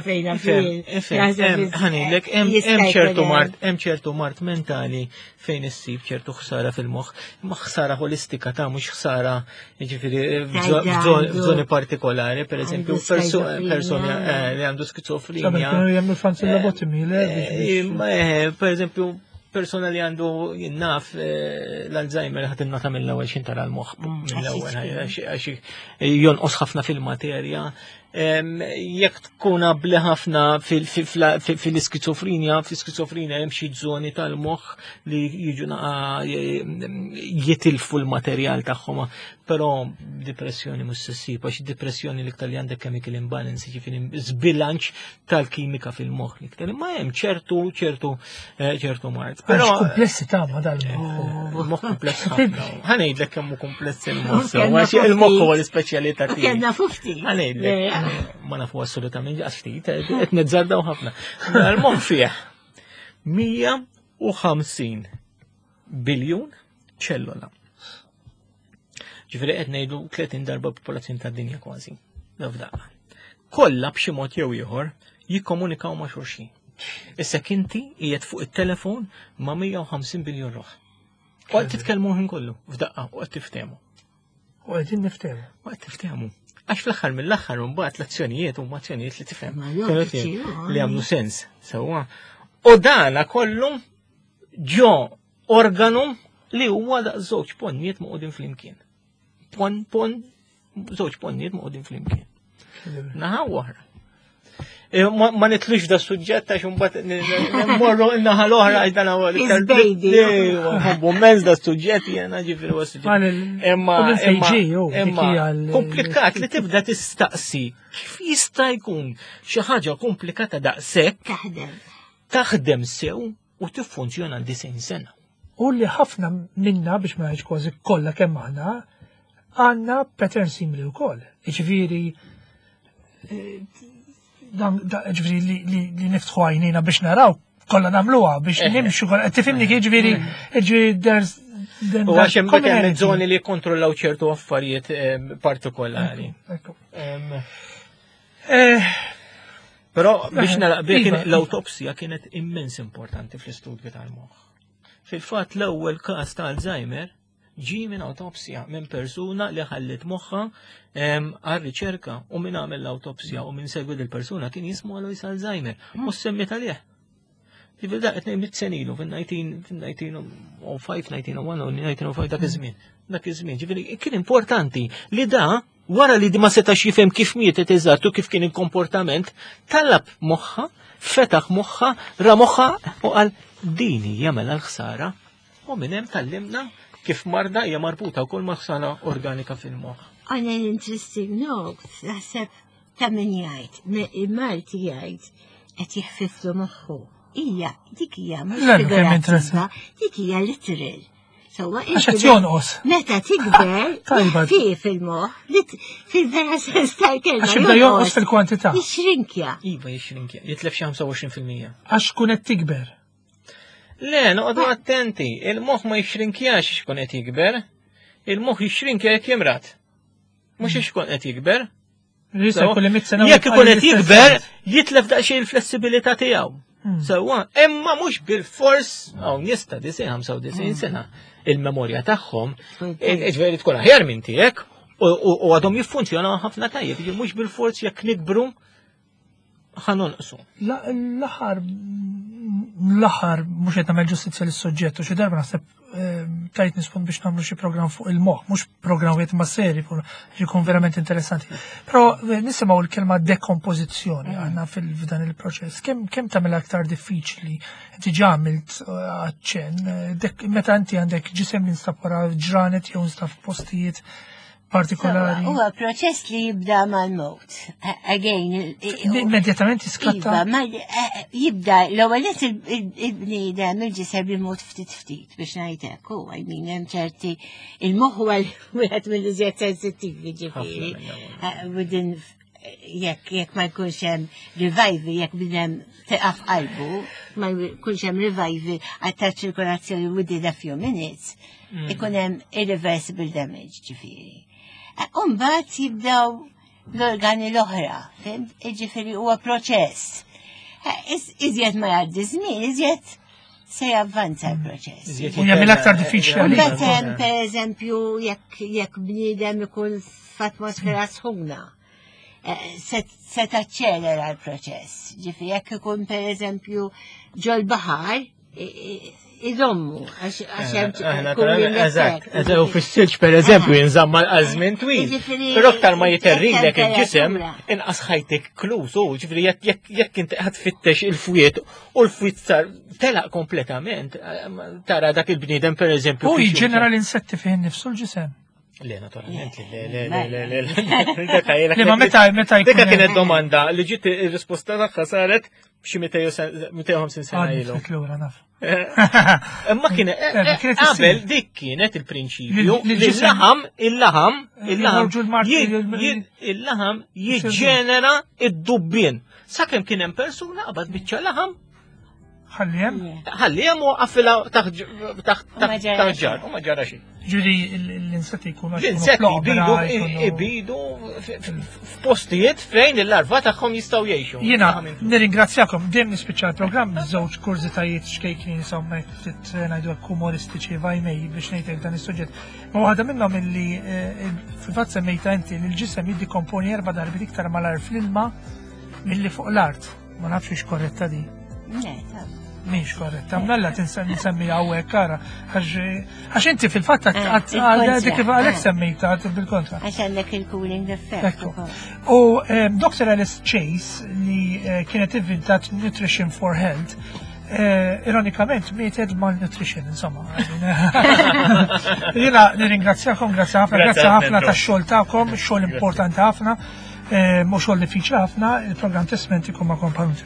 fejna Ħanilek, hemm ċertu mart, hemm ċertu mart mentali fejn issib ċertu ħsara fil-moħħ, ma ħsara holistika ta' mhux ħsara jiġifieri f'żoni partikolari, pereżempju persuna eh, li għandu skizofrenja. Jagħmlu fancy eh, lobotomy, eh, Per eżempju, persona li għandu jinnaf l-Alzheimer ħat innota mill-ewwel xin tara l-moħħ mm, mill-ewwel għax jonqos ħafna fil-materja. Jekk tkun abli ħafna fil-iskizofrenja, fil-iskizofrenja hemm xi żoni tal-moħħ li jiġu jitilfu l-materjal tagħhom, però depressjoni mhux se ssib għax depressjoni l-iktar li għandek chemical imbalance, jiġifieri żbilanċ tal-kimika fil-moħħ l-iktar. Imma hemm ċertu ċertu eh, ċertu mard. Però komplessi ta' ma dal-moħħ. Moħħ kompless ħafna. Ħanejdlek kemm hu kompless il-moħħ. Għax il-moħħ huwa l-ispeċjalità tiegħi. Kemm nafu ftit. Ħanejdlek. Ma nafu assolutament għax ftit, qed nizzardaw ħafna. Il-moħħ fih 150 biljun ċellola. Ġifieri qed ngħidu 30 darba popolazzjoni tad-dinja kważi. F'daqqa. Kollha b'xi mod jew ieħor jikkomunikaw ma' xulxin. Issa kinti qiegħed fuq it-telefon ma' 150 biljun ruħ. U qed titkellmu ħin kollu f'daqqa u qed tiftehmu. U qegħdin niftehmu. U qed tiftehmu. Għax fl-aħħar mill-aħħar mbagħad l-azzjonijiet huma azzjonijiet li tifhem. Li għamlu sens sewwa. U dana kollu ġo organu li huwa daq żewġ ponnijiet moqogħdin flimkien. Pon, pon, żewġ ponnijiet moqogħdin flimkien. Naħa oħra. Eh, ma nitlux da suġġett għax imbagħad mmorru n-naħa l-oħra għax dan huwa l-iktar. Nħobbu mezz da suġġett jiena ġifieri huwa suġġett. Imma imma komplikat li tibda tistaqsi kif jista' jkun xi ħaġa komplikata daqshekk taħdem. Taħdem sew u tiffunzjona għal 90 sena. U li ħafna minna biex ma ngħidx kważi kollha kemm aħna għandna pattern simili wkoll. Jiġifieri eh, dan ġifieri li niftħu għajnejna biex naraw kollha nagħmluha biex eh. nimxu kollha tifhimni kif ġifieri ġifieri there's U għax hemm hemm żoni li jikkontrollaw ċertu affarijiet eh, partikolari. Però biex nalaq bih iva. l-awtopsija kienet immens importanti fl-istudju tal-moħħ. Fil-fatt l-ewwel każ ta' Alzheimer ġie minn awtopsja minn persuna li ħallit moħħa għal riċerka u minn għamel l-awtopsja u minn segwi l-persuna kien jismu Alois Alzheimer u semmi talih. Ġifieri da qed ngħid sena ilu fil-1905, 1901 u 1905 dak iż-żmien. Dak iż-żmien, ġifieri kien importanti li da wara li ma setax jifhem kif mietet eżatt u kif kien il-komportament, talab moħħa, fetaħ moħħa, ra moħħa u qal din hija mela l-ħsara U minn hemm tgħallimna kif marda hija marbuta wkoll ma' ħsara organika fil-moħħ. On an interesting note, naħseb ta' min jgħid, il-Malti jgħid qed jiħfiflu moħħu. Ija, dik hija mhux figurattiva, dik hija literal. Sewwa Għax qed jonqos. Meta tikber, fi fil-moħħ, fil-vera sens tal-kelma. Għax jibda jonqos fil-kwantità. Jixrinkja. Iva jixrinkja, jitlef xi 25%. Għax kun qed tikber. Le, noqogħdu attenti, il-moħħ ma jixrinkjax x'kun qed jikber, il-moħħ jixrinkja jekk jimrat. Mhux x'kun qed jikber. Jekk ikun qed jikber, jitlef daqsxejn il-flessibilità tiegħu. Hmm. Sewwa, imma mhux bil-fors hawn nies ta' 95 hmm. sena il-memorja tagħhom, ġveri tkun aħjar minn tiegħek u għadhom jiffunzjonaw ħafna tajjeb, mhux bil-fors jekk nikbru ħa nonqsu. L-aħħar l-aħħar mhux qed nagħmel ġustizzja lis-suġġett u xi darba naħseb ehm, tajt nispun biex nagħmlu xi programm fuq il-moħħ, mhux programm wieħed ma' seri jkun verament interessanti. Però eh, nisimgħu l-kelma dekompożizzjoni mm. aħna fil-dan il-proċess. Kemm kemm tagħmel aktar diffiċli inti ġamilt eh, aċċenn eh, meta inti għandek ġisem li nstab wara ġranet jew nstab f'postijiet partikolari. Huwa proċess li jibda mal-mowt. Again, immedjatament jiskatta. Iva, ma eh, jibda l-ewwel il-bniedem il-ġisem jimut ftit ftit biex ngħid hekk u I mean hemm ċerti il-moħħ huwa wieħed mill-iżjed sensittivi ġifieri. Eh, within jekk jekk ma jkunx hemm revival, jekk bnedem teqaf qalbu, ma jkunx hemm revival għal ta' ċirkolazzjoni within a few minutes, mm. ikun hemm irreversible damage ġifieri. Eh, Umbagħad jibdew l-organi l-oħra, fimt? Ġifieri huwa proċess. Eh, iżjed ma jgħaddi żmien, iżjed se javvanza l-proċess. U jagħmel aktar diffiċli għalik. Mbagħad hemm pereżempju jekk jekk bniedem ikun f'atmosfera sħuna eh, se taċċelera l-proċess. Ġifi jekk ikun pereżempju ġol-baħar, iżommu, għax hemm Eżatt, u fis-silġ pereżempju jinżamm għal żmien twil. Però aktar ma jiterrilek il-ġisem, inqas ħajtek klus, u ġifieri jekk inti qed tfittex il-fwiet u l-fwiet sar telaq kompletament, tara dak il-bniedem pereżempju. U jiġġenera l-insetti fih nifsu l-ġisem. Le, naturalment, le, le, le, le, le, le. Ma meta, meta jkun. Dika kienet domanda li ġiet ir-risposta tagħha saret b'xi 250 sena ilu. Lura naf. Imma kien eh, eh, eh, qabel dik kienet il-prinċipju li l-laħam, il-laħam, il-laħam, il-laħam jiġġenera id-dubbien. Sakemm kien hemm persuna qabad biċċa laħam Ħalli hemm? Ħalli hemm u għafilha taħt ġar, u ma ġara xejn. Ġifieri l-insetti jkunu L-insetti jbidu jbidu f'postijiet fejn il-larva tagħhom jistgħu jgħixu. Jiena nirringrazzjakom dejjem nispiċċa l-programm żewġ kurżitajiet xkejknin insomma ftit eh, ngħidu hekk umoristiċi vajmej biex ngħidlek dan is-suġġett. Ma waħda minnhom illi eh, fil-fatt semmejta inti li l-ġisem jiddikomponi erba' darbiet iktar malar fl-ilma milli fuq l-art. Ma nafx hix korretta di. Le, ta. Mhix korretta, mnalla tinsemmi hawnhekk ara għax inti fil-fatt eh, għal dik kif għalhekk eh. semmejta bil-kontra. Għax għandek il-cooling effect. U eh, Dr. Alice Chase li kienet inventat Nutrition for Health, ironikament mietet malnutrition, insomma. Jena nirringrazzjakom, grazzi ħafna, grazzi ħafna tax-xogħol tagħkom, xogħol importanti ħafna, mhux xogħol diffiċli ħafna, il-programm Testmenti kum ma' kompanu.